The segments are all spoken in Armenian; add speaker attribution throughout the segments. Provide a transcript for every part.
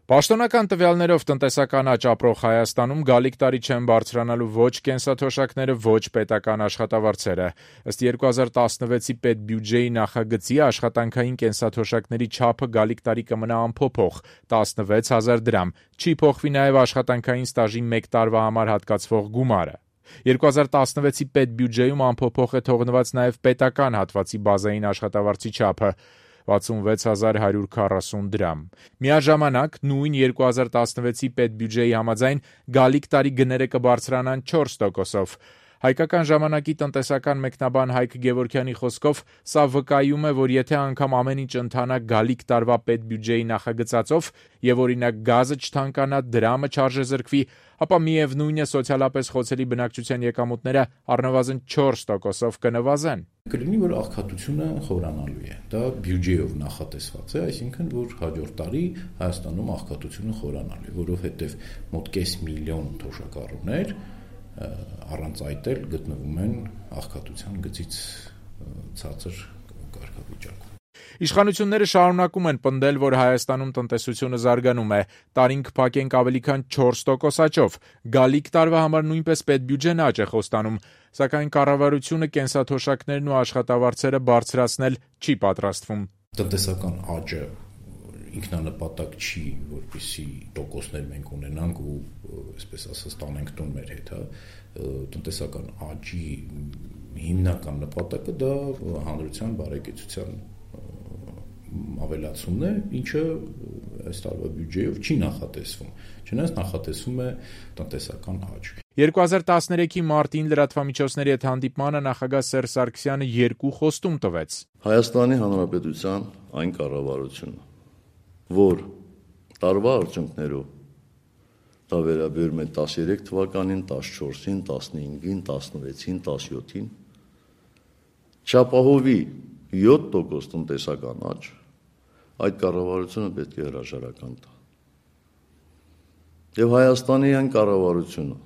Speaker 1: Պաշտոնական տվյալներով տնտեսական աճ ապրող Հայաստանում գալիք տարի չեն բարձրանալու ոչ կենսաթոշակները, ոչ պետական աշխատավարձերը։ Ըստ 2016-ի պետբյուջեի նախագծի աշխատանքային կենսաթոշակների չափը գալիք տարի կմնա անփոփոխ՝ 16,000 դրամ։ Չի փոխվի նաև աշխատանքային ստաժի 1 տարվա համար հատկացվող գումարը։ 2016-ի պետբյուջեում անփոփոխ է թողնված նաև պետական հատվածի բազային աշխատավարձի չափը՝ 66,140 դրամ։ Միաժամանակ նույն 2016-ի պետբյուջեի համաձայն գալիք տարի գները կբարձրանան 4%-ով։ Հայկական ժամանակի տնտեսական մեկնաբան Հայկ Գևորգյանի խոսքով սա վկայում է, որ եթե անգամ ամեն ինչ ընթանա գալիք տարվա պետբյուջեի նախագծածով եւ օրինակ գազը չթանկանա, դրամը չարժեզրկվի, ապա միևնույն է սոցիալապես խոցելի բնակչության եկամուտները առնվազն 4%-ով կնվազեն։
Speaker 2: Կլինի, որ աղքատությունը խորանալու է։ Դա բյուջեով նախատեսված է, այսինքն, որ հաջորդ տարի Հայաստանում աղքատությունը խորանալու է, որովհետեւ մոտ 500,000 թոշակառուներ առանց այդ էլ գտնվում են աղքատության գծից ցածր կարգավիճակում։
Speaker 1: Իշխանությունները շարունակում են պնդել, որ Հայաստանում տնտեսությունը զարգանում է, տարին կփակենք ավելի քան 4% աճով, գալիք տարվա համար նույնպես պետբյուջեն աճ է խոստանում, սակայն կառավարությունը կենսաթոշակներն ու աշխատավարձերը բարձրացնել չի պատրաստվում։
Speaker 2: Տնտեսական աճը ինքնանպատակ չի, որպեսզի տոկոսներ մենք ունենանք ու այսպես ասած տանենք տուն մեր հետ, տնտեսական աճի հիմնական նպատակը դա հանրության բարեկեցության ավելացումն է, ինչը այս տարվա բյուջեով չի նախատեսվում, չնայած նախատեսվում է տնտեսական աճ։
Speaker 1: 2013-ի մարտին լրատվամիջոցների հետ հանդիպմանը նախագահ Սերժ Սարգսյանը 2 խոստում տվեց։
Speaker 3: Հայաստանի Հանրապետության այն կառավարությունը, որ տարվա արդյունքներով դա վերաբերում է 13 թվականին, 14-ին, 15-ին, 16-ին, 17-ին, չապահովի 7% տնտեսական աճ, այդ կառավարությունը պետք է հրաժարական տա։ Եվ Հայաստանի այն կառավարությունը,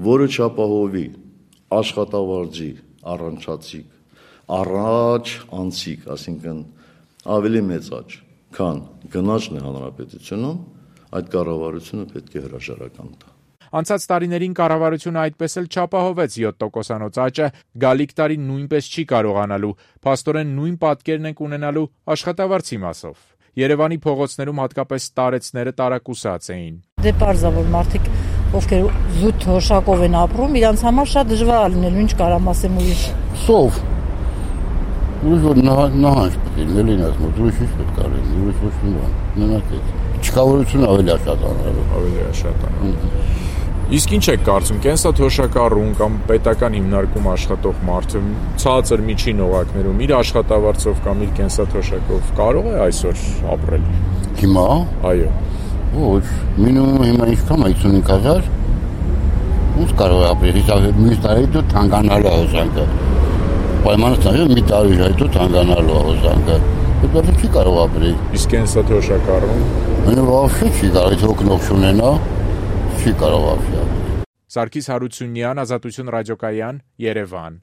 Speaker 3: որը չապահովի աշխատավարձի առնչացիկ, առաջ անցիկ, այսինքն ավելի մեծ աճ, քան գնաճն է հանրապետությունում, այդ կառավարությունը պետք է հրաժարական տա։
Speaker 1: Անցած տարիներին կառավարությունը այդպես էլ չապահովեց 7%-անոց աճը, գալիք տարի նույնպես չի կարողանալու, փաստորեն նույն պատկերն ենք ունենալու աշխատավարձի մասով։ Երևանի փողոցներում հատկապես տարեցները տարակուսած էին։
Speaker 4: Դե պարզ է, որ մարդիկ, ովքեր զուտ թոշակով են ապրում, իրանց համար շատ դժվար է լինելու, ինչ կարամ ասեմ ուրիշ։
Speaker 5: Սով։ Ուրիշ որ նահանջ պետք է լինես, ուրիշ ինչ պետք է լինի, ուրիշ ոչ մի բան, մենակ է։ Չկավորությունը ավելի աշատանալու։
Speaker 1: Ավելի աշատանալու։ Իսկ ինչ եք կարծում, կենսաթոշակառուն կամ պետական հիմնարկում աշխատող մարդը ցածր միջին օղակներում իր աշխատավարձով կամ իր կենսաթոշակով կարող է այսօր ապրել։
Speaker 5: Հիմա։
Speaker 1: Այո։
Speaker 5: Ոչ, մինիմումը հիմա ինչքան է 55,000։ Ոնց կարող է ապրել, իսկ մի տարի դու թանկանալու հոսանքը։ Պայմանը ցավը մի տարի հետո թանկանալու հոսանքը։ Դա չի կարող ապրել։
Speaker 1: Իսկ կենսաթոշակառուն։
Speaker 5: Այնը вообще չի կարող, եթե օգնող չունենա, չի կարող ապրել։
Speaker 1: Սարգիս Հարությունյան, Ազատություն ռադիոկայան, Երևան։